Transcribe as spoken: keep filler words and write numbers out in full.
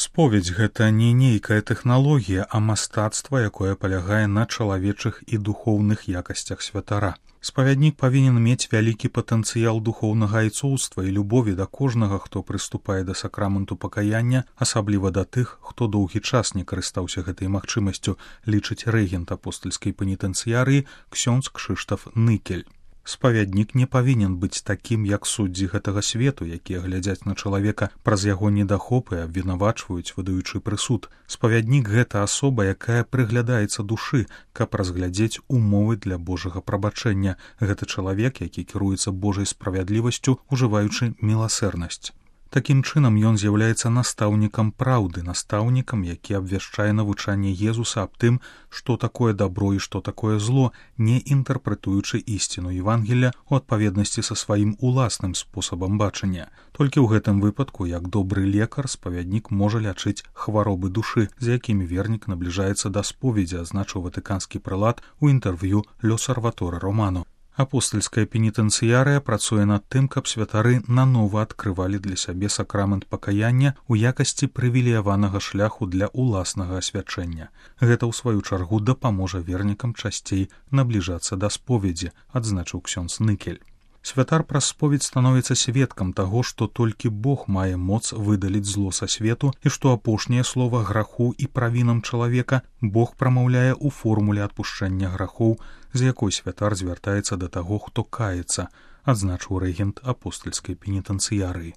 Споведь гэта не нейкая тэхналогія, а мастацтва, якое палягае на чалавечых і духоўных якасцях святара. Спавяднік павінен мець вялікі патэнцыял духоўнага айцоўства і любові да кожнага, хто прыступае да сакраменту пакаяння, асабліва да тых, хто доўгі час не карыстаўся гэтай магчымасцю, лічыць рэгент апостальскай пенітэнцыярыі ксёндз Кшыштаф Ныкель. Спавяднік не павінен быць такім, як суддзі гэтага свету, якія глядзяць на чалавека праз яго недахопы і абвінавачваюць, выдаючы прысуд. Спавяднік — гэта асоба, якая прыглядаецца душы, каб разглядзець умовы для Божага прабачэння. Гэта чалавек, які кіруецца Божай справядлівасцю, ужываючы міласэрнасць. Такім чынам ён з'яўляецца настаўнікам праўды, настаўнікам, які абвяшчае навучанне Езуса аб тым, што такое дабро і што такое зло, не інтэрпрэтуючы ісціну Евангелля ў адпаведнасці са сваім уласным спосабам бачання. Толькі ў гэтым выпадку, як добры лекар, спавяднік можа лячыць хваробы душы, з якімі вернік набліжаецца да споведзі, азначыў ватыканскі прэлат у інтэрв'ю «Л'Осерваторе Романо». Апостальская пенітэнцыярыя працуе над тым, каб святары нанова адкрывалі для сябе сакрамент пакаяння ў якасці прывілеяванага шляху для ўласнага асвячэння. Гэта, ў сваю чаргу, дапаможа вернікам часцей набліжацца да споведзі, адзначыў ксёндз Ныкель. Святар праз споведь становіцца сведкам таго, што толькі Бог мае моц выдаліць зло са свету і што апошняе слова граху і правінам чалавека Бог прамаўляе ў формуле адпушчэння грахоў, з якой святар звяртаецца да таго, хто каецца, адзначыў рэгент апостальскай пенітэнцыярыі.